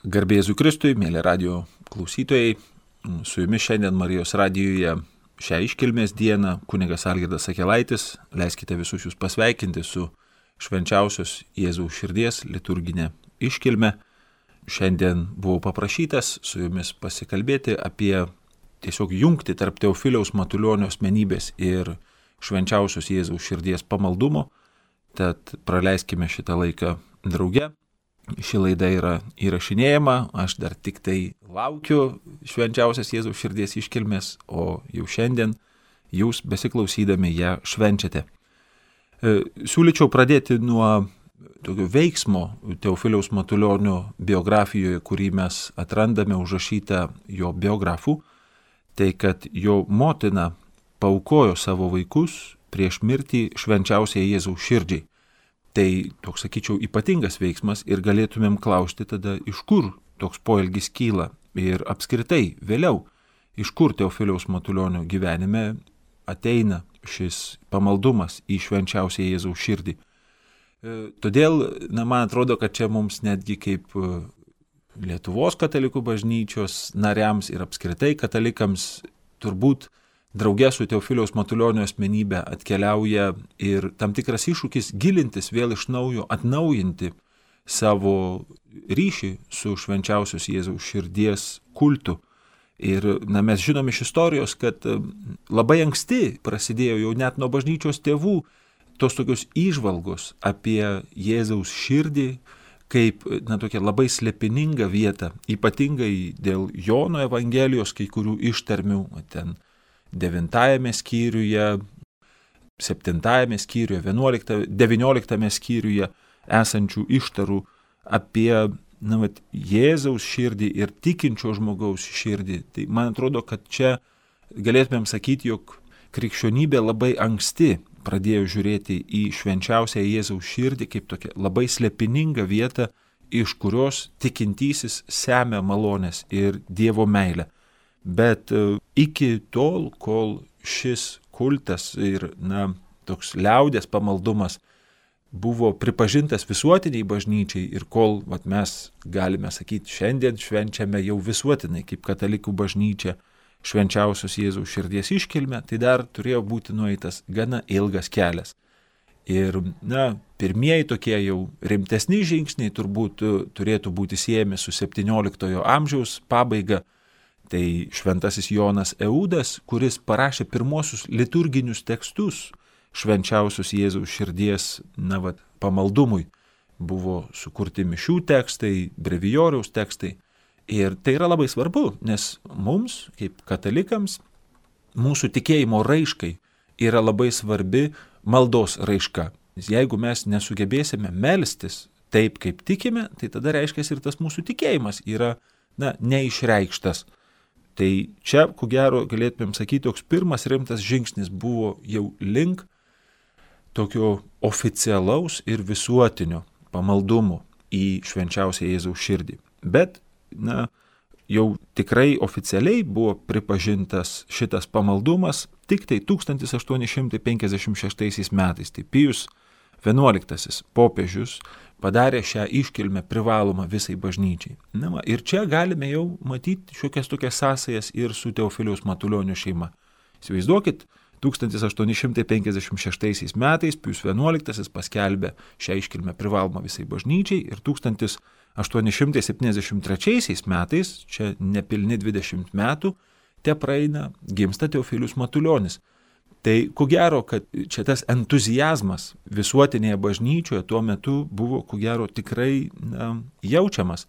Garbė Jėzui Kristui, mėly radijo klausytojai, su jumis šiandien Marijos radijoje šią iškilmės dieną kunigas Algirdas Akelaitis. Leiskite visus jūs pasveikinti su švenčiausios Jėzaus širdies liturginė iškilme. Šiandien buvau paprašytas su jumis pasikalbėti apie tiesiog jungti tarp Teofiliaus Matulionio asmenybės ir švenčiausios Jėzaus širdies pamaldumo. Tad praleiskime šitą laiką drauge. Ši laida yra įrašinėjama, aš dar tik tai laukiu švenčiausios Jėzaus širdies iškilmės, o jau šiandien jūs besiklausydami ją švenčiate. Siūlyčiau pradėti nuo tokio veiksmo Teofiliaus Matulionio biografijoje, kurį mes atrandame užrašytą jo biografų, tai kad jo motina paaukojo savo vaikus prieš mirtį švenčiausiai Jėzaus širdžiai. Tai toks, sakyčiau, ypatingas veiksmas ir galėtumėm klausti tada, iš kur toks poelgis kyla ir apskritai vėliau, iš kur Teofiliaus Matulionio gyvenime ateina šis pamaldumas į švenčiausią Jėzaus širdį. Todėl, man atrodo, kad čia mums netgi kaip Lietuvos katalikų bažnyčios nariams ir apskritai katalikams turbūt drauge su Teofiliaus Matulionio asmenybė atkeliauja ir tam tikras iššūkis gilintis vėl iš naujo, atnaujinti savo ryšį su švenčiausios Jėzaus širdies kultu. Ir mes žinom iš istorijos, kad labai anksti prasidėjo jau net nuo bažnyčios tėvų tos tokios įžvalgos apie Jėzaus širdį kaip tokia labai slėpininga vieta, ypatingai dėl Jono Evangelijos kai kurių ištarmių, ten 9 skyriuje, 7 skyriuje, 19 skyriuje esančių ištarų apie Jėzaus širdį ir tikinčio žmogaus širdį. Tai man atrodo, kad čia galėtumėm sakyti, jog krikščionybė labai anksti pradėjo žiūrėti į švenčiausią Jėzaus širdį kaip tokia labai slėpininga vieta, iš kurios tikintysis semia malonės ir Dievo meilę. Bet iki tol, kol šis kultas ir toks liaudės pamaldumas buvo pripažintas visuotiniai bažnyčiai ir kol mes galime sakyti, šiandien švenčiame jau visuotinai kaip katalikų bažnyčia švenčiausios Jėzaus širdies iškilmę, tai dar turėjo būti nueitas gana ilgas kelias. Ir pirmieji tokie jau rimtesni žingsniai turbūt turėtų būti siejami su 17 amžiaus pabaiga. Tai šventasis Jonas Eudas, kuris parašė pirmosius liturginius tekstus švenčiausios Jėzaus širdies pamaldumui. Buvo sukurti mišių tekstai, brevijoriaus tekstai. Ir tai yra labai svarbu, nes mums, kaip katalikams, mūsų tikėjimo raiškai yra labai svarbi maldos raiška. Nes jeigu mes nesugebėsime melstis taip, kaip tikime, tai tada reiškia ir tas mūsų tikėjimas yra neišreikštas. Tai čia, ko gero, galėtumėm sakyti, toks pirmas rimtas žingsnis buvo jau link tokio oficialaus ir visuotinio pamaldumo į švenčiausią Jėzaus širdį. Bet, jau tikrai oficialiai buvo pripažintas šitas pamaldumas tik tai 1856 metais. Tai Pijus XI popiežius padarė šią iškilmę privalomą visai bažnyčiai. Ir čia galime jau matyti šiokias tokias sąsajas ir su Teofiliaus Matulionio šeima. Įsivaizduokit, 1856 metais Pijus XI paskelbė šią iškilmę privalomą visai bažnyčiai ir 1873 metais, čia nepilni 20 metų, praeina, gimsta Teofilius Matulionis. Tai ko gero, kad čia tas entuziazmas visuotinėje bažnyčioje tuo metu buvo, ko gero, tikrai jaučiamas.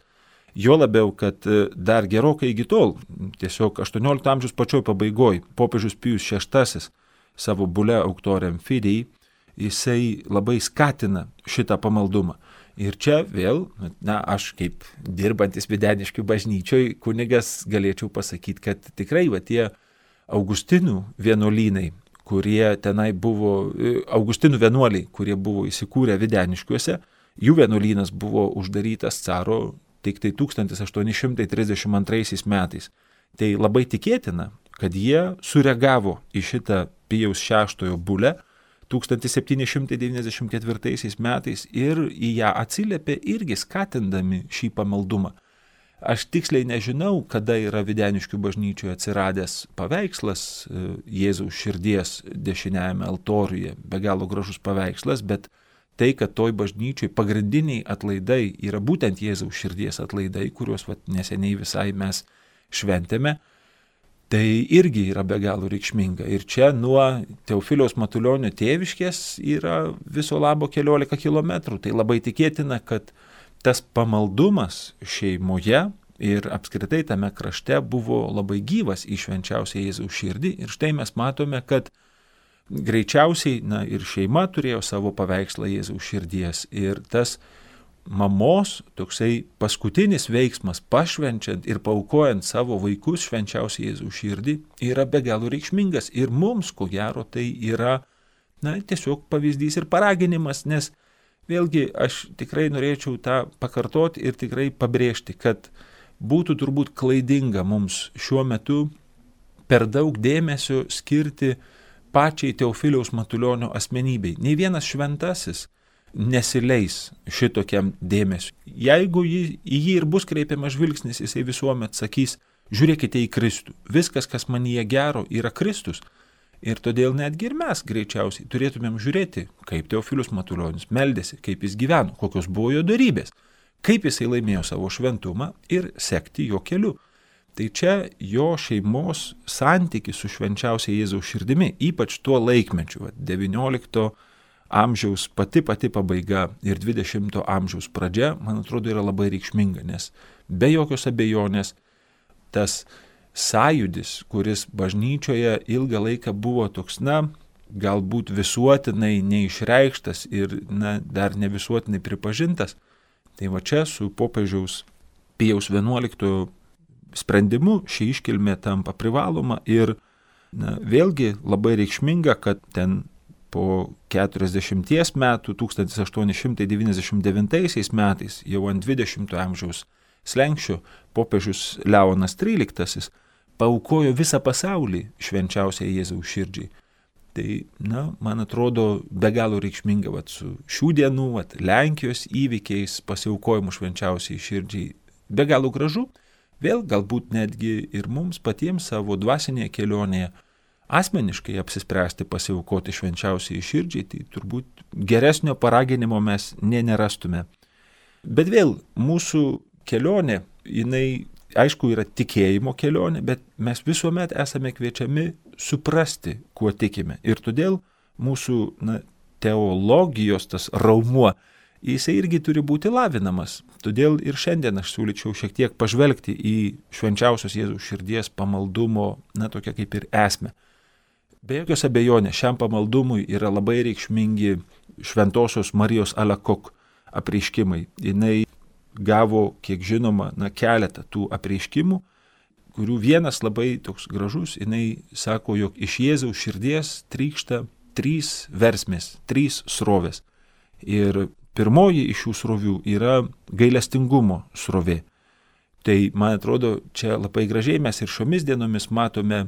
Jo labiau, kad dar gerokai iki tol, tiesiog 18 amžiaus pačioj pabaigoj, popiežius Pijus VI savo bule Auctorem Fidei, jisai labai skatina šitą pamaldumą. Ir čia vėl, aš kaip dirbantis Videniškių bažnyčioj kunigas galėčiau pasakyti, kad tikrai tie Augustinų vienuolynai, kurie tenai buvo, Augustinų vienuoliai, kurie buvo įsikūrę Videniškiuose, jų vienuolynas buvo uždarytas caro tik tai 1832 metais. Tai labai tikėtina, kad jie sureagavo į šitą Pijaus VI bulę 1794 metais ir į ją atsiliepė irgi skatindami šį pamaldumą. Aš tiksliai nežinau, kada yra Videniškių bažnyčioje atsiradęs paveikslas Jėzaus širdies dešiniajame altoriuje, be galo gražus paveikslas, bet tai, kad toj bažnyčiai pagrindiniai atlaidai yra būtent Jėzaus širdies atlaidai, kuriuos neseniai visai mes šventėme, tai irgi yra be galo reikšminga. Ir čia nuo Teofiliaus Matulionio tėviškės yra viso labo 14 kilometrų. Tai labai tikėtina, kad tas pamaldumas šeimoje ir apskritai tame krašte buvo labai gyvas į švenčiausią Jėzaus širdį. Ir štai mes matome, kad greičiausiai ir šeima turėjo savo paveikslą Jėzaus širdies. Ir tas mamos toksai paskutinis veiksmas pašvenčiant ir paaukojant savo vaikus švenčiausią Jėzaus širdį yra be galo reikšmingas. Ir mums, ko gero, tai yra tiesiog pavyzdys ir paraginimas, nes vėlgi aš tikrai norėčiau tą pakartoti ir tikrai pabrėžti, kad būtų turbūt klaidinga mums šiuo metu per daug dėmesio skirti pačiai Teofiliaus Matulionio asmenybei. Nei vienas šventasis nesileis šitokiam dėmesiu. Jeigu į jį ir bus kreipiamas žvilgsnis, jisai visuomet sakys, žiūrėkite į Kristų. Viskas, kas manyje gero, yra Kristus. Ir todėl netgi ir mes greičiausiai turėtumėm žiūrėti, kaip Teofilius Matulionis meldėsi, kaip jis gyveno, kokios buvo jo darybės, kaip jisai laimėjo savo šventumą ir sekti jo keliu. Tai čia jo šeimos santykis su švenčiausia Jėzaus širdimi, ypač tuo laikmečiu, 19 amžiaus pati pabaiga ir 20 amžiaus pradžia, man atrodo, yra labai reikšminga, nes be jokios abejonės tas sąjūdis, kuris bažnyčioje ilgą laiką buvo toks, galbūt visuotinai neišreikštas ir dar ne visuotinai pripažintas. Tai va čia su popiežiaus Pijaus XI sprendimu ši iškilmė tampa privaloma ir vėlgi labai reikšminga, kad ten po 40 metų, 1899 metais, jau ant 20 amžiaus slenksčio, popiežius Leonas XIII paaukojo visą pasaulį švenčiausiai Jėzaus širdžiai. Tai, man atrodo, be galo reikšminga su šių dienų Lenkijos įvykiais pasiaukojimu švenčiausiai širdžiai. Be galo gražu, vėl galbūt netgi ir mums patiems savo dvasinėje kelionėje asmeniškai apsispręsti pasiaukoti švenčiausiai širdžiai, tai turbūt geresnio paraginimo mes nerastume. Bet vėl mūsų kelionė, jinai aišku yra tikėjimo kelionė, bet mes visuomet esame kviečiami suprasti, kuo tikime. Ir todėl mūsų teologijos tas raumuo, jisai irgi turi būti lavinamas. Todėl ir šiandien aš siūlyčiau šiek tiek pažvelgti į švenčiausios Jėzaus širdies pamaldumo, tokia kaip ir esmę. Be jokios abejonės, šiam pamaldumui yra labai reikšmingi šventosios Marijos Alakok apreiškimai. Jinai gavo, kiek žinoma, keletą tų apreiškimų, kurių vienas labai toks gražus, jinai sako, jog iš Jėzaus širdies trykšta 3 versmės, 3 srovės. Ir pirmoji iš šių srovių yra gailestingumo srovė. Tai, man atrodo, čia labai gražiai mes ir šiomis dienomis matome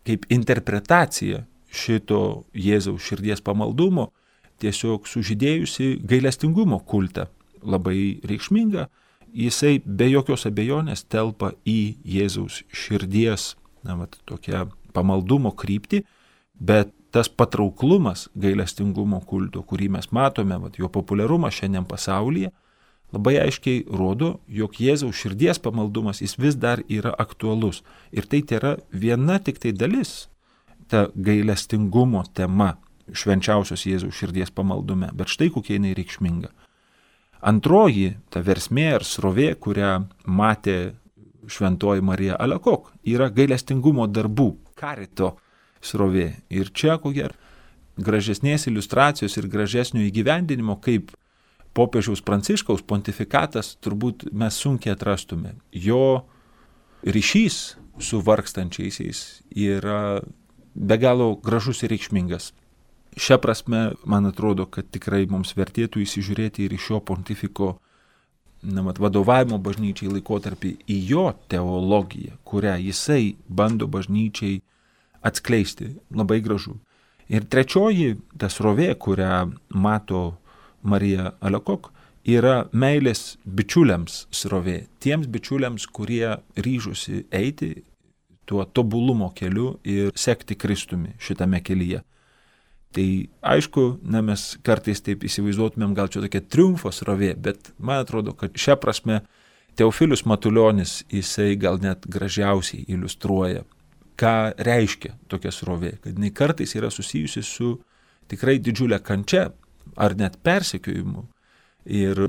kaip interpretacija šito Jėzaus širdies pamaldumo tiesiog sužydėjusi gailestingumo kultą. Labai reikšminga, jisai be jokios abejonės telpa į Jėzaus širdies tokią pamaldumo kryptį, bet tas patrauklumas gailestingumo kulto, kurį mes matome, jo populiarumą šiandien pasaulyje, labai aiškiai rodo, jog Jėzaus širdies pamaldumas jis vis dar yra aktualus. Ir tai yra viena tik tai dalis, ta gailestingumo tema švenčiausios Jėzaus širdies pamaldume, bet štai kokia jinai reikšminga. Antroji, ta versmė ar srovė, kurią matė šventoji Marija Alakok, yra gailestingumo darbų, karito srovė. Ir čia, ko gero, gražesnės iliustracijos ir gražesnio įgyvendinimo, kaip popiežiaus Pranciškaus pontifikatas, turbūt mes sunkiai atrastume. Jo ryšys su vargstančiaisiais yra be galo gražus ir reikšmingas. Šia prasme, man atrodo, kad tikrai mums vertėtų įsižiūrėti ir į šio pontifiko vadovavimo bažnyčiai laikotarpį į jo teologiją, kurią jisai bando bažnyčiai atskleisti. Labai gražu. Ir trečioji, ta srovė, kurią mato Marija Alakok, yra meilės bičiuliams srovė, tiems bičiuliams, kurie ryžosi eiti tuo tobulumo keliu ir sekti Kristumi šitame kelyje. Tai aišku, mes kartais taip įsivaizduotumėm, gal čia tokia triumfo srovė, bet man atrodo, kad šią prasme Teofilius Matulionis jisai gal net gražiausiai iliustruoja, ką reiškia tokia srovė, kad jinai kartais yra susijusi su tikrai didžiulė kančia ar net persekiojimu. Ir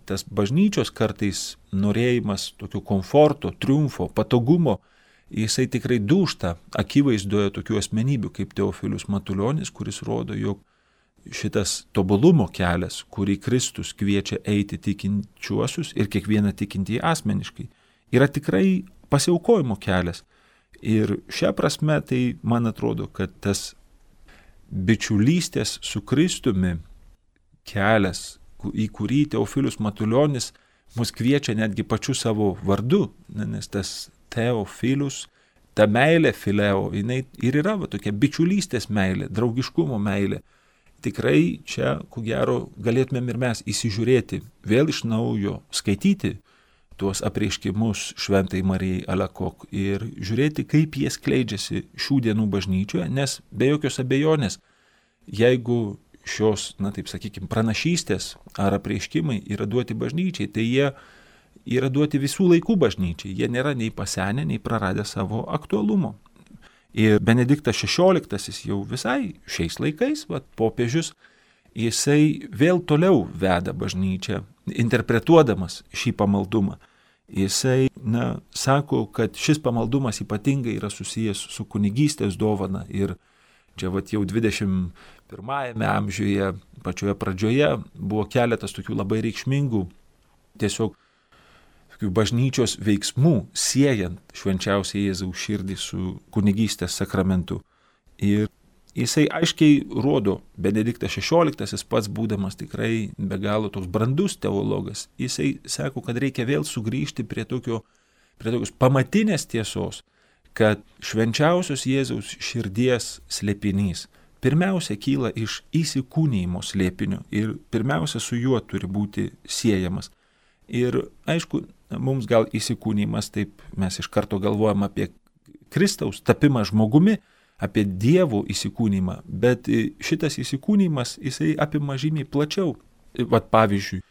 tas bažnyčios kartais norėjimas tokio komforto, triumfo, patogumo, jisai tikrai dūžta akivaizdoje tokių asmenybių kaip Teofilius Matulionis, kuris rodo, jog šitas tobulumo kelias, kurį Kristus kviečia eiti tikinčiuosius ir kiekvieną tikintįjį asmeniškai, yra tikrai pasiaukojimo kelias. Ir šią prasme tai man atrodo, kad tas bičiulystės su Kristumi kelias, į kurį Teofilius Matulionis mus kviečia netgi pačiu savo vardu, nes tas Teofilius, ta meilė fileo, jinai ir yra tokia bičiulystės meilė, draugiškumo meilė. Tikrai čia, ko gero, galėtumėm ir mes įsižiūrėti, vėl iš naujo skaityti tuos apreiškimus Šventai Marijai Alakok ir žiūrėti, kaip jie skleidžiasi šių dienų bažnyčioje, nes be jokios abejonės, jeigu šios, taip sakykime, pranašystės ar apreiškimai yra duoti bažnyčiai, tai jie yra duoti visų laikų bažnyčiai. Jie nėra nei pasenę, nei praradę savo aktualumo. Ir Benediktas XVI jau visai šiais laikais, popiežius, jisai vėl toliau veda bažnyčią, interpretuodamas šį pamaldumą. Jisai, sako, kad šis pamaldumas ypatingai yra susijęs su kunigystės dovana ir čia jau 21 amžiuje, pačioje pradžioje, buvo keletas tokių labai reikšmingų tiesiog bažnyčios veiksmų, siejant švenčiausią Jėzaus širdį su kunigystės sakramentu. Ir jisai aiškiai rodo, Benediktas XVI pats būdamas tikrai be galo toks brandus teologas, jisai sako, kad reikia vėl sugrįžti prie tokios pamatinės tiesos, kad švenčiausios Jėzaus širdies slėpinys pirmiausia kyla iš įsikūnijimo slėpinio ir pirmiausia su juo turi būti siejamas. Ir aišku, mums gal įsikūnijimas, taip mes iš karto galvojam apie Kristaus tapimą žmogumi, apie Dievo įsikūnijimą, bet šitas įsikūnijimas, jisai apima žymiai plačiau. Pavyzdžiui,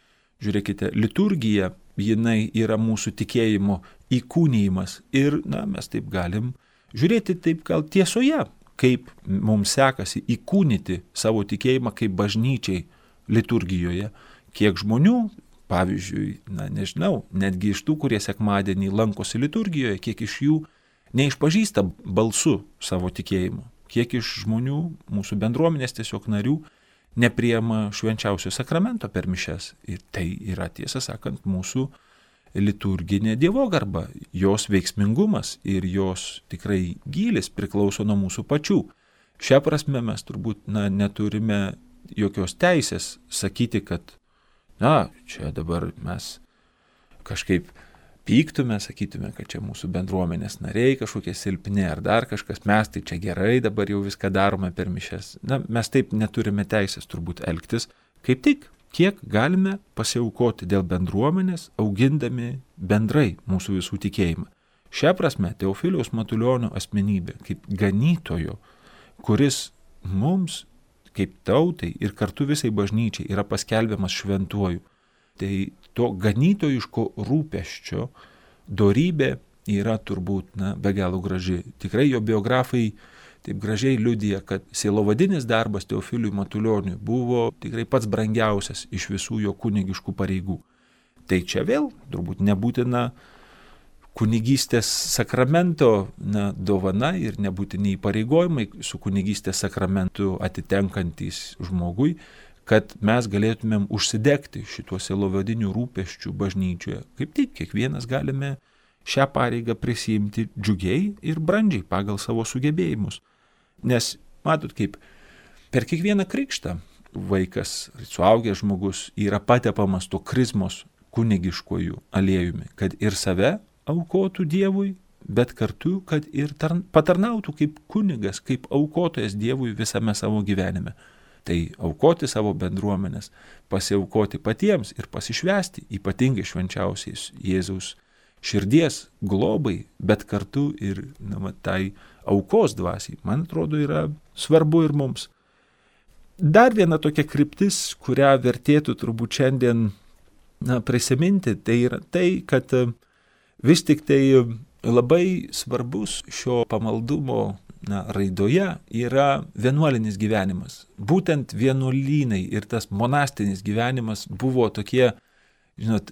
žiūrėkite, liturgija, jinai yra mūsų tikėjimo įkūnijimas ir, mes taip galim žiūrėti taip gal tiesoje, kaip mums sekasi įkūnyti savo tikėjimą kaip bažnyčiai liturgijoje, kiek žmonių, pavyzdžiui, nežinau, netgi iš tų, kurie sekmadienį lankosi liturgijoje, kiek iš jų neišpažįsta balsu savo tikėjimo, kiek iš žmonių, mūsų bendruomenės tiesiog narių, nepriima švenčiausio sakramento per mišias. Ir tai yra, tiesą sakant, mūsų liturginė dievogarba, jos veiksmingumas ir jos tikrai gylis priklauso nuo mūsų pačių. Šią prasme mes turbūt neturime jokios teisės sakyti, kad čia dabar mes kažkaip pyktume, sakytume, kad čia mūsų bendruomenės nariai kažkokie silpni ar dar kažkas, mes tai čia gerai dabar jau viską darome per mišias. Mes taip neturime teisės turbūt elgtis, kaip tik, kiek galime pasiaukoti dėl bendruomenės, augindami bendrai mūsų visų tikėjimą. Šią prasme Teofiliaus Matulionio asmenybė kaip ganytojo, kuris mums kaip tautai ir kartu visai bažnyčiai yra paskelbiamas šventuoju. Tai to ganytojiško rūpesčio dorybė yra turbūt be galo graži. Tikrai jo biografai taip gražiai liudija, kad sielovadinis darbas Teofiliui Matulioniui buvo tikrai pats brangiausias iš visų jo kunigiškų pareigų. Tai čia vėl turbūt nebūtina kunigystės sakramento dovana ir nebūtini įpareigojimai su kunigystės sakramentu atitenkantys žmogui, kad mes galėtumėm užsidegti šituo sielovadiniu rūpesčiu bažnyčioje. Kaip tik, kiekvienas galime šią pareigą prisiimti džiugiai ir brandžiai pagal savo sugebėjimus. Nes, matot, kaip per kiekvieną krikštą vaikas, suaugęs žmogus yra patepamas to krizmos kunigiškojų aliejumi, kad ir save aukotų Dievui, bet kartu, kad ir patarnautų kaip kunigas, kaip aukotojas Dievui visame savo gyvenime. Tai aukoti savo bendruomenės, pasiaukoti patiems ir pasišvęsti ypatingai švenčiausiais Jėzaus širdies globai, bet kartu ir tai aukos dvasiai, man atrodo, yra svarbu ir mums. Dar viena tokia kryptis, kurią vertėtų turbūt šiandien prisiminti, tai yra tai, kad vis tik tai labai svarbus šio pamaldumo raidoje yra vienuolinis gyvenimas. Būtent vienuolynai ir tas monastinis gyvenimas buvo tokie,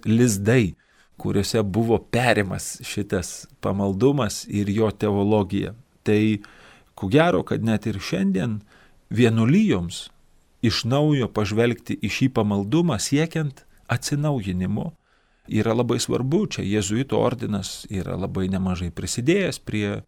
lizdai, kuriuose buvo perimas šitas pamaldumas ir jo teologija. Tai ko gero, kad net ir šiandien vienuolijoms iš naujo pažvelgti į šį pamaldumą siekiant atsinaujinimo yra labai svarbu. Čia jėzuitų ordinas yra labai nemažai prisidėjęs prie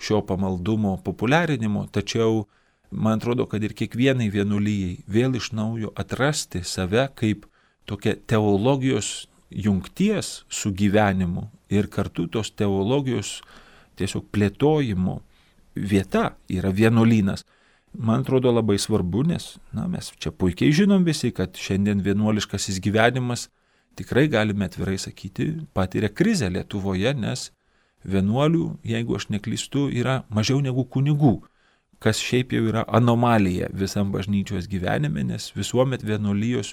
šio pamaldumo populiarinimo, tačiau man atrodo, kad ir kiekvienai vienuolijai vėl iš naujo atrasti save kaip tokia teologijos jungties su gyvenimu ir kartu tos teologijos tiesiog plėtojimo vieta yra vienuolynas. Man atrodo labai svarbu, nes mes čia puikiai žinom visi, kad šiandien vienuoliškasis gyvenimas, tikrai galime atvirai sakyti, patiria krizę Lietuvoje, nes vienuolių, jeigu aš neklystu, yra mažiau negu kunigų, kas šiaip jau yra anomalija visam bažnyčios gyvenime, nes visuomet vienuolijos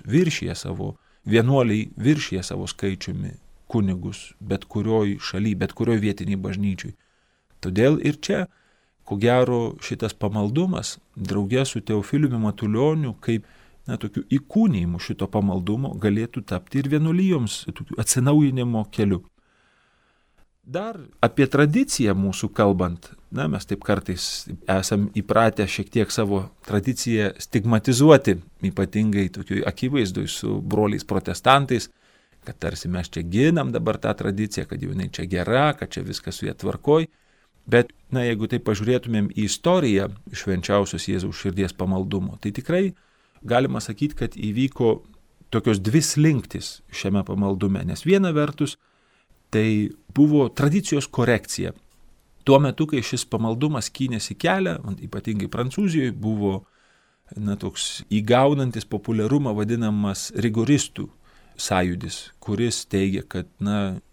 vienuoliai viršyje savo skaičiumi kunigus bet kurioj šaly, bet kurioj vietiniai bažnyčiui. Todėl ir čia, ko gero, šitas pamaldumas, drauge su Teofiliumi Matulioniu, kaip tokiu įkūnijimu šito pamaldumo galėtų tapti ir vienuolijoms tokiu atsinaujinimo keliu. Dar apie tradiciją mūsų kalbant, mes taip kartais esam įpratę šiek tiek savo tradiciją stigmatizuoti, ypatingai tokiu akivaizdui su broliais protestantais, kad tarsi mes čia ginam dabar tą tradiciją, kad jau jinai čia gera, kad čia viskas su ja tvarkoj. Bet, jeigu taip pažiūrėtumėm į istoriją švenčiausios Jėzaus širdies pamaldumo, tai tikrai galima sakyti, kad įvyko tokios dvi slinktis šiame pamaldume, nes viena vertus tai buvo tradicijos korekcija. Tuo metu, kai šis pamaldumas skynėsi kelią, ypatingai Prancūzijoje, buvo toks įgaunantis populiarumą vadinamas rigoristų sąjūdis, kuris teigia, kad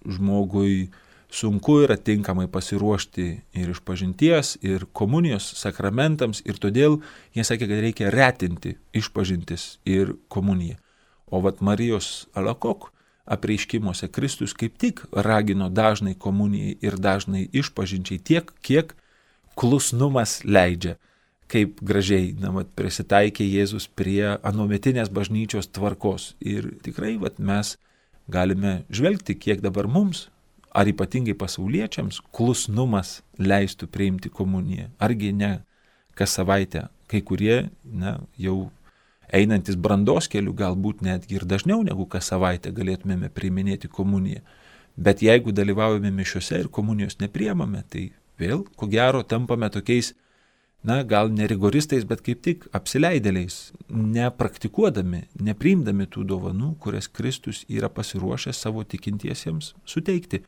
žmogui sunku yra tinkamai pasiruošti ir išpažinties, ir komunijos sakramentams, ir todėl jie sakė, kad reikia retinti išpažintis ir komuniją. O Marijos Alakok apreiškimuose Kristus kaip tik ragino dažnai komunijai ir dažnai išpažinčiai tiek, kiek klusnumas leidžia. Kaip gražiai prisitaikė Jėzus prie anuometinės bažnyčios tvarkos. Ir tikrai mes galime žvelgti, kiek dabar mums, ar ypatingai pasauliečiams, klusnumas leistų priimti komuniją. Argi ne kas savaitę kai kurie jau einantis brandos keliu, galbūt netgi ir dažniau negu kas savaitę galėtumėme priiminėti komuniją. Bet jeigu dalyvaujame mišiose ir komunijos nepriimame, tai vėl, ko gero, tampame tokiais, gal ne rigoristais, bet kaip tik apsileidėliais, nepraktikuodami, nepriimdami tų dovanų, kurias Kristus yra pasiruošęs savo tikintiesiems suteikti.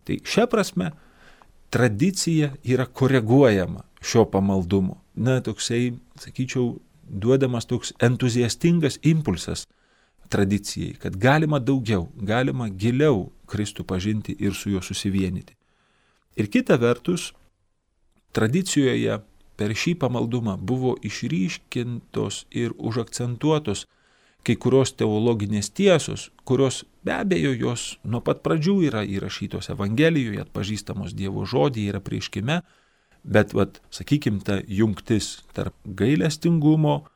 Tai šia prasme tradicija yra koreguojama šio pamaldumo. Toksai, sakyčiau, duodamas toks entuziastingas impulsas tradicijai, kad galima daugiau, galima giliau Kristų pažinti ir su juo susivienyti. Ir kita vertus, tradicijoje per šį pamaldumą buvo išryškintos ir užakcentuotos kai kurios teologinės tiesos, kurios be abejo jos nuo pat pradžių yra įrašytos Evangelijoje, atpažįstamos Dievo žodyje ir apreiškime, bet, sakykim, ta jungtis tarp gailestingumo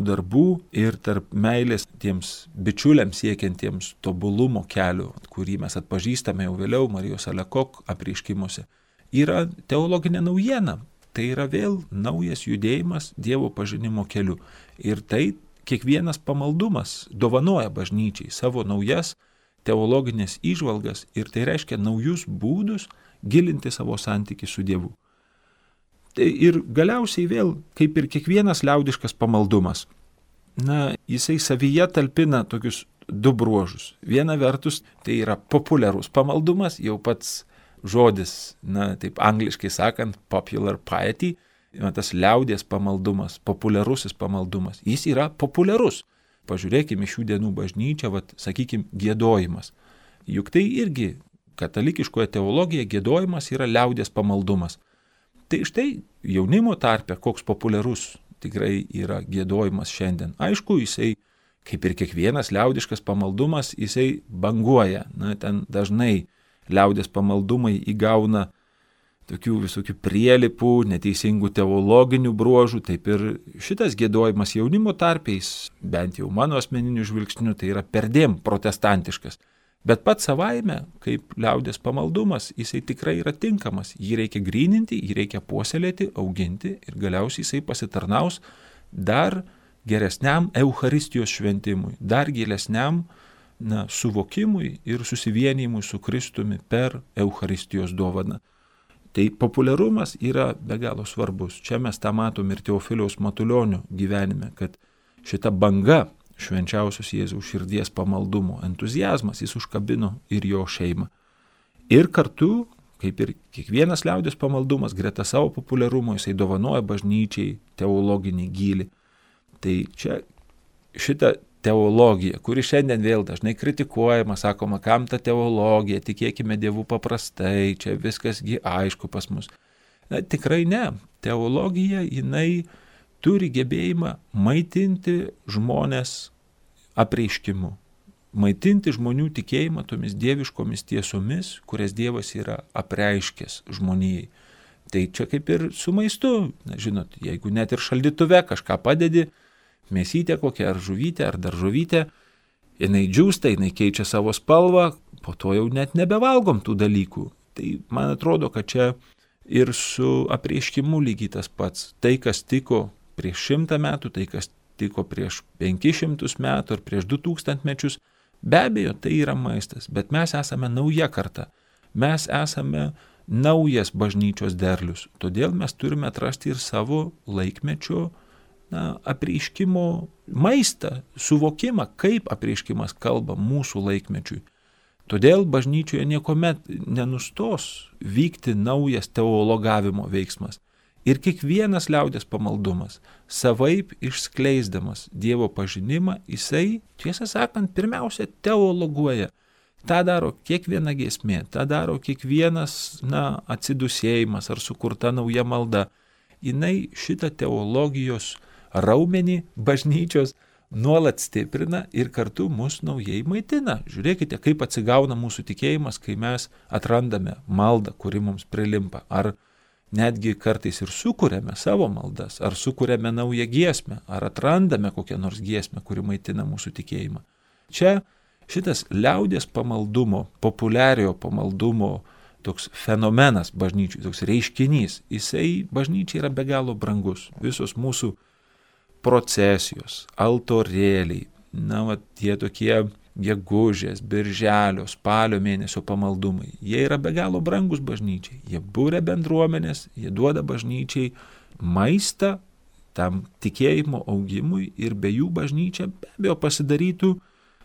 darbų ir tarp meilės tiems bičiuliams siekiantiems tobulumo kelio, kurį mes atpažįstame jau vėliau Marijos Alakok apreiškimuose, yra teologinė naujiena. Tai yra vėl naujas judėjimas Dievo pažinimo keliu. Ir tai kiekvienas pamaldumas dovanoja bažnyčiai savo naujas teologinės įžvalgas ir tai reiškia naujus būdus gilinti savo santykį su Dievu. Tai ir galiausiai vėl, kaip ir kiekvienas liaudiškas pamaldumas, jisai savyje talpina tokius du bruožus. Viena vertus, tai yra populiarus pamaldumas, jau pats žodis, taip angliškai sakant, popular piety, tas liaudies pamaldumas, populiarusis pamaldumas, jis yra populiarus. Pažiūrėkime šių dienų bažnyčią, sakykime, giedojimas. Juk tai irgi katalikiškoje teologijoje giedojimas yra liaudies pamaldumas. Tai štai jaunimo tarpe koks populiarus tikrai yra giedojimas šiandien. Aišku, jisai, kaip ir kiekvienas liaudiškas pamaldumas, jisai banguoja. Ten dažnai liaudies pamaldumai įgauna tokių visokių prielipų, neteisingų teologinių bruožų, taip ir šitas giedojimas jaunimo tarpiais, bent jau mano asmeniniu žvilgsniu, tai yra perdėm protestantiškas. Bet pats savaime, kaip liaudies pamaldumas, jisai tikrai yra tinkamas. Jį reikia gryninti, jį reikia puoselėti, auginti ir galiausiai jisai pasitarnaus dar geresniam Eucharistijos šventimui, dar gilesniam suvokimui ir susivienijimui su Kristumi per Eucharistijos dovaną. Tai populiarumas yra be galo svarbus. Čia mes tą matom ir Teofiliaus Matulionio gyvenime, kad šita banga švenčiausios Jėzaus širdies pamaldumo entuziazmas, jis užkabino ir jo šeimą. Ir kartu, kaip ir kiekvienas liaudies pamaldumas, greta savo populiarumo, jisai dovanoja bažnyčiai teologinį gylį. Tai čia šita teologija, kuri šiandien vėl dažnai kritikuojama, sakoma, kam ta teologija, tikėkime Dievu paprastai, čia viskasgi aišku pas mus. Tikrai ne. Teologija, jinai turi gebėjimą maitinti žmonės apreiškimu, maitinti žmonių tikėjimą tomis dieviškomis tiesomis, kurias Dievas yra apreiškęs žmonijai. Tai čia kaip ir su maistu, žinot, jeigu net ir šaldytuve kažką padedi, mėsytę kokią ar žuvytę ar daržovytę, jinai džiūsta, jinai keičia savo spalvą, po to jau net nebevalgom tų dalykų. Tai man atrodo, kad čia ir su apreiškimu lygiai tas pats. Tai, kas tiko prieš 100 metų, tai kas tiko prieš 500 metų ar prieš 2000 mečius, be abejo, tai yra maistas, bet mes esame nauja karta, mes esame naujas bažnyčios derlius, todėl mes turime atrasti ir savo laikmečio apreiškimo maistą, suvokimą, kaip apreiškimas kalba mūsų laikmečiui. Todėl bažnyčioje niekuomet nenustos vykti naujas teologavimo veiksmas. Ir kiekvienas liaudies pamaldumas, savaip išskleisdamas Dievo pažinimą, jisai, tiesą sakant, pirmiausia teologuoja. Ta daro kiekviena giesmė, ta daro kiekvienas atsidusėjimas ar sukurta nauja malda. Jinai šitą teologijos raumenį bažnyčios nuolat stiprina ir kartu mus naujai maitina. Žiūrėkite, kaip atsigauna mūsų tikėjimas, kai mes atrandame maldą, kuri mums prilimpa. Ar netgi kartais ir sukuriame savo maldas, ar sukuriame naują giesmę, ar atrandame kokią nors giesmę, kuri maitina mūsų tikėjimą. Čia šitas liaudies pamaldumo, populiariojo pamaldumo toks fenomenas bažnyčiai, toks reiškinys, jisai bažnyčiai yra be galo brangus. Visos mūsų procesijos, altorėliai, tie tokie gegužės, birželio, spalio mėnesio pamaldumai, jie yra be galo brangus bažnyčiai. Jie būria bendruomenės, jie duoda bažnyčiai maistą tam tikėjimo augimui ir be jų bažnyčia be abejo pasidarytų,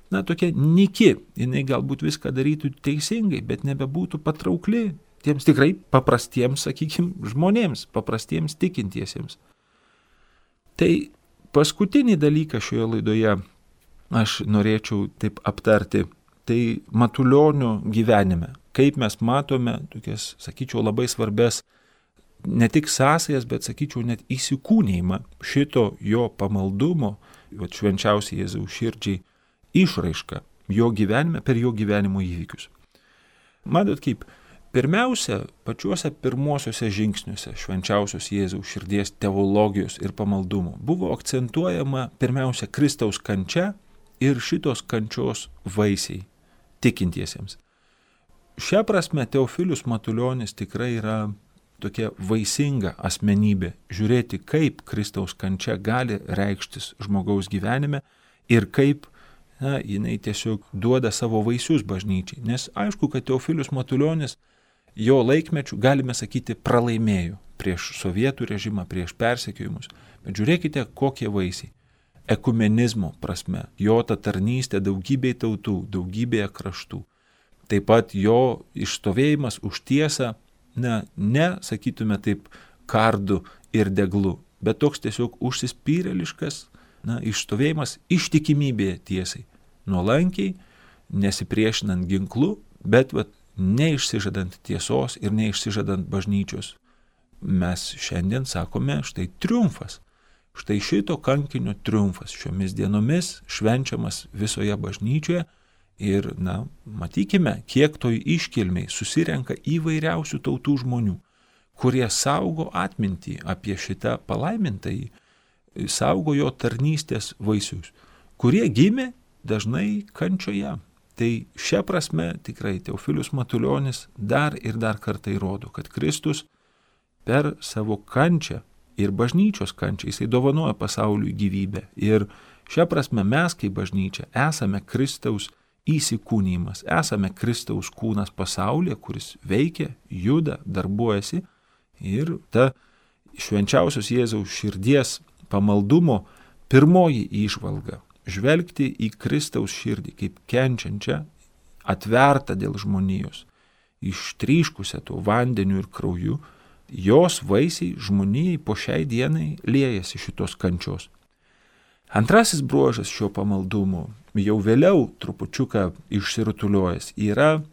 tokia nyki. Jinai galbūt viską darytų teisingai, bet nebebūtų patraukli tiems tikrai paprastiems, žmonėms, paprastiems tikintiesiems. Tai paskutinį dalyką šioje laidoje aš norėčiau taip aptarti, tai Matulionio gyvenime, kaip mes matome tokias, labai svarbes ne tik sąsajas, bet net įsikūnijimą šito jo pamaldumo, švenčiausiai Jėzaus širdžiai išraišką jo gyvenime per jo gyvenimo įvykius. Matot kaip, pirmiausia, pačiuose pirmuosiuose žingsniuose švenčiausios Jėzaus širdies teologijos ir pamaldumo buvo akcentuojama pirmiausia Kristaus kančia ir šitos kančios vaisiai tikintiesiems. Šia prasme Teofilius Matulionis tikrai yra tokia vaisinga asmenybė, žiūrėti, kaip Kristaus kančia gali reikštis žmogaus gyvenime ir kaip jinai tiesiog duoda savo vaisius bažnyčiai. Nes aišku, kad Teofilius Matulionis jo laikmečių, galime sakyti, pralaimėjo prieš sovietų režimą, prieš persekiojimus. Bet žiūrėkite, kokie vaisiai. Ekumenizmo prasme, jo ta tarnystė daugybei tautų, daugybėje kraštų. Taip pat jo išstovėjimas už tiesą, ne, sakytume taip, kardu ir deglu, bet toks tiesiog užsispyrėliškas, išstovėjimas ištikimybėje tiesai, nuolankiai, nesipriešinant ginklu, bet neišsižadant tiesos ir neišsižadant bažnyčios. Mes šiandien sakome, štai triumfas. Štai šito kankinio triumfas šiomis dienomis švenčiamas visoje bažnyčioje ir, matykime, kiek toj iškilmiai susirenka įvairiausių tautų žmonių, kurie saugo atmintį apie šitą palaimintąjį, saugo jo tarnystės vaisius, kurie gimė dažnai kančioje. Tai šia prasme tikrai Teofilius Matulionis dar ir dar kartą įrodo, kad Kristus per savo kančią ir bažnyčios kančią jisai dovanoja pasauliui gyvybę. Ir šia prasme mes kaip bažnyčia esame Kristaus įsikūnijimas, esame Kristaus kūnas pasaulyje, kuris veikia, juda, darbuojasi. Ir ta švenčiausios Jėzaus širdies pamaldumo pirmoji įžvalga – žvelgti į Kristaus širdį kaip kenčiančią, atvertą dėl žmonijos, ištryškusią tuo vandeniu ir krauju, jos vaisiai žmonijai po šiai dienai liejasi šitos kančios. Antrasis bruožas šio pamaldumo, jau vėliau trupučiuką išsirutuliojęs, yra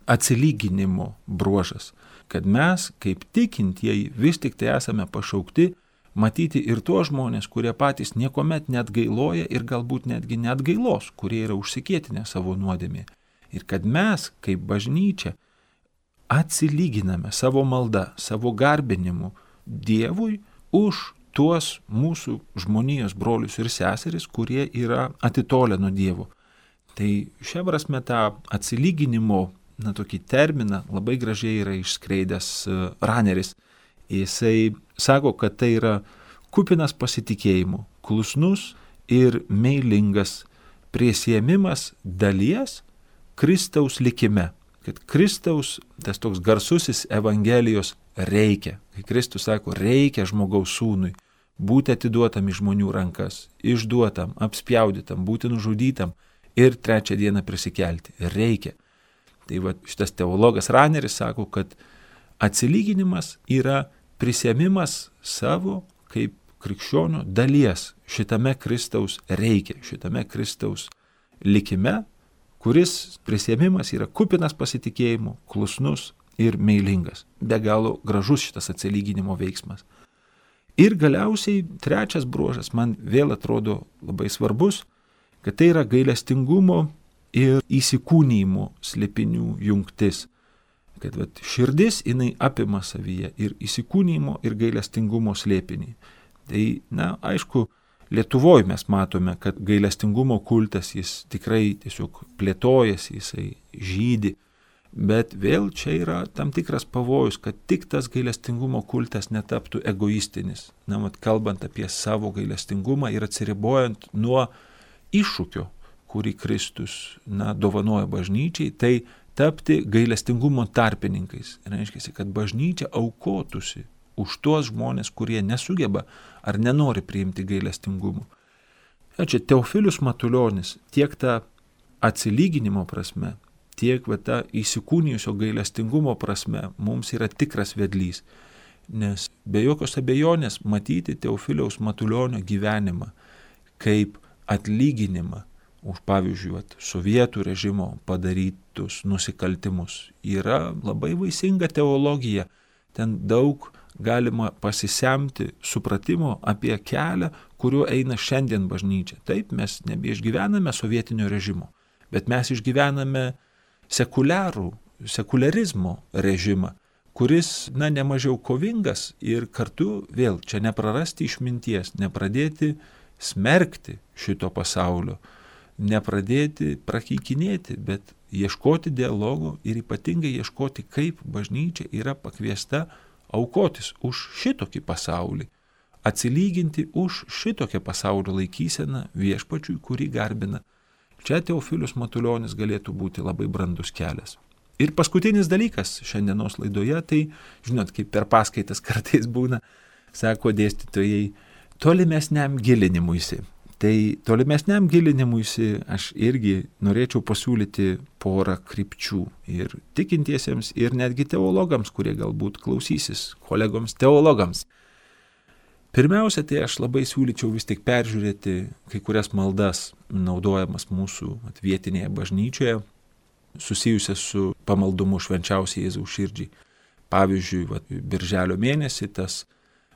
atsilyginimo bruožas, kad mes, kaip tikintieji, vis tik tai esame pašaukti matyti ir tuos žmonės, kurie patys niekuomet neatgailoja ir galbūt netgi neatgailos, kurie yra užsikėtinę savo nuodėmė. Ir kad mes, kaip bažnyčia, atsilyginame savo maldą, savo garbinimu Dievui už tuos mūsų žmonijos brolius ir seseris, kurie yra atitolę nuo Dievo. Tai šia prasme tą atsilyginimo, tokį terminą labai gražiai yra išskleidęs Raneris. Jisai sako, kad tai yra kupinas pasitikėjimo, klusnus ir meilingas prisiėmimas dalies Kristaus likime. Kad Kristaus, tas toks garsusis Evangelijos reikia. Kai Kristus sako, reikia žmogaus sūnui būti atiduotam į žmonių rankas, išduotam, apspjaudytam, būti nužudytam ir trečią dieną prisikelti. Reikia. Tai šitas teologas Raneris sako, kad atsilyginimas yra prisiėmimas savo kaip krikščionio dalies šitame Kristaus reikia, šitame Kristaus likime, kuris prisiėmimas yra kupinas pasitikėjimo, klusnus ir meilingas. Be galo gražus šitas atsilyginimo veiksmas. Ir galiausiai trečias bruožas man vėl atrodo labai svarbus, kad tai yra gailestingumo ir įsikūnijimo slėpinių jungtis. Kad širdis jinai apima savyje ir įsikūnijimo ir gailestingumo slėpinį. Tai, aišku, Lietuvoje mes matome, kad gailestingumo kultas jis tikrai tiesiog plėtojasi, jisai žydi, bet vėl čia yra tam tikras pavojus, kad tik tas gailestingumo kultas netaptų egoistinis. Kalbant apie savo gailestingumą ir atsiribojant nuo iššūkio, kurį Kristus dovanoja bažnyčiai, tai tapti gailestingumo tarpininkais. Reiškia, kad bažnyčia aukotųsi už tuos žmonės, kurie nesugeba ar nenori priimti gailestingumo. Čia Teofilius Matulionis tiek tą atsilyginimo prasme, tiek tą įsikūnijusio gailestingumo prasme mums yra tikras vedlys. Nes be jokios abejonės matyti Teofiliaus Matulionio gyvenimą kaip atlyginimą už, pavyzdžiui, sovietų režimo padarytus nusikaltimus yra labai vaisinga teologija. Ten daug galima pasisemti supratimo apie kelią, kuriuo eina šiandien bažnyčia. Taip, mes nebeišgyvename sovietinio režimo, bet mes išgyvename sekularizmo režimą, kuris, nemažiau kovingas ir kartu vėl čia neprarasti išminties, nepradėti smerkti šito pasaulio, nepradėti prakeikinėti, bet ieškoti dialogo ir ypatingai ieškoti, kaip bažnyčia yra pakviesta aukotis už šitokį pasaulį, atsilyginti už šitokią pasaulio laikyseną viešpačiui, kurį garbina. Čia Teofilius Matulionis galėtų būti labai brandus kelias. Ir paskutinis dalykas šiandienos laidoje, tai, žinot, kaip per paskaitas kartais būna, sako dėstytojai, tolimesniam gilinimuisi. Tai tolimesniam gilinimuisi aš irgi norėčiau pasiūlyti porą krypčių ir tikintiesiems, ir netgi teologams, kurie galbūt klausysis, kolegoms teologams. Pirmiausia, tai aš labai siūlyčiau vis tik peržiūrėti kai kurias maldas naudojamas mūsų vietinėje bažnyčioje, susijusias su pamaldumu švenčiausiai Jėzaus širdžiai. Pavyzdžiui, birželio mėnesį tas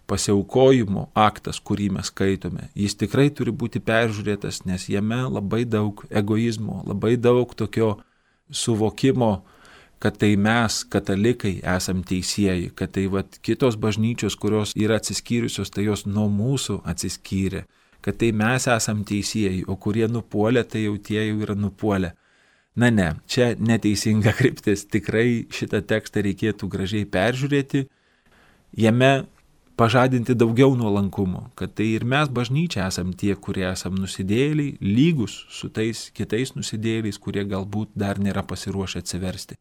pasiaukojimo aktas, kurį mes skaitome, jis tikrai turi būti peržiūrėtas, nes jame labai daug egoizmo, labai daug tokio suvokimo, kad tai mes, katalikai, esam teisieji, kad tai kitos bažnyčios, kurios yra atsiskyrusios, tai jos nuo mūsų atsiskyrė, kad tai mes esam teisieji, o kurie nupuolė, tai jau tie jau yra nupuolę. Na ne, čia neteisinga kryptis, tikrai šitą tekstą reikėtų gražiai peržiūrėti, jame pažadinti daugiau nuolankumo, kad tai ir mes bažnyčia esam tie, kurie esam nusidėjėliai, lygus su tais kitais nusidėjėliais, kurie galbūt dar nėra pasiruošę atsiversti.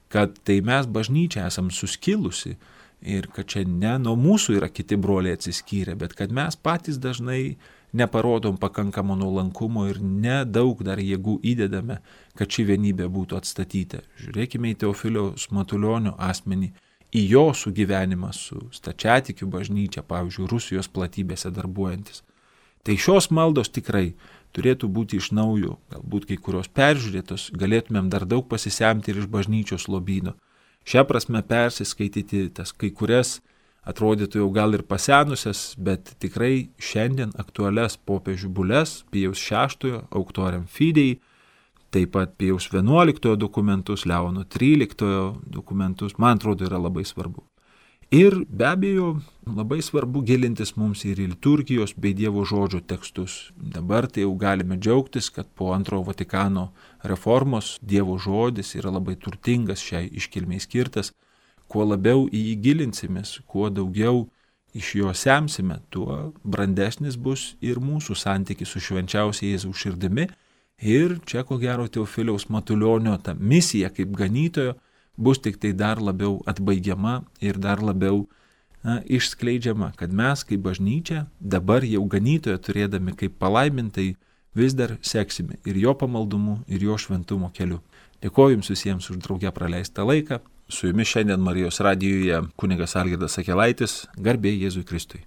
Kad tai mes bažnyčia esam suskilusi ir kad čia ne nuo mūsų yra kiti broliai atsiskyrę, bet kad mes patys dažnai neparodom pakankamo nuolankumo ir nedaug dar jėgų įdedame, kad ši vienybė būtų atstatyta. Žiūrėkime į Teofiliaus Matulionio asmenį, į jo sugyvenimą su stačiatikių bažnyčia, pavyzdžiui, Rusijos platybėse darbuojantis. Tai šios maldos tikrai turėtų būti iš naujo, galbūt kai kurios peržiūrėtos, galėtumėm dar daug pasisemti ir iš bažnyčios lobyno. Šią prasme persiskaityti tas kai kurias, atrodytų jau gal ir pasenusias, bet tikrai šiandien aktualias popiežių bules, Pijaus VI, Auctoriam Fidei, taip pat Pijaus XI dokumentus, Leono XIII dokumentus, man atrodo, yra labai svarbu. Ir be abejo, labai svarbu gilintis mums ir į liturgijos bei Dievo žodžio tekstus. Dabar tai jau galime džiaugtis, kad po Antrojo Vatikano reformos Dievo žodis yra labai turtingas, šiai iškilmei skirtas. Kuo labiau į jį gilinsimės, kuo daugiau iš jo semsime, tuo brandesnis bus ir mūsų santykis su švenčiausia Jėzaus širdimi. Ir čia, ko gero, Teofiliaus Matulionio ta misija kaip ganytojo bus tik tai dar labiau atbaigiama ir dar labiau išskleidžiama, kad mes kaip bažnyčia dabar jau ganytoją turėdami kaip palaimintai vis dar seksime ir jo pamaldumu, ir jo šventumo keliu. Dėkoju Jums visiems už drauge praleistą laiką. Su Jumis šiandien Marijos radijuje kunigas Algirdas Sakelaitis, garbė Jėzui Kristui.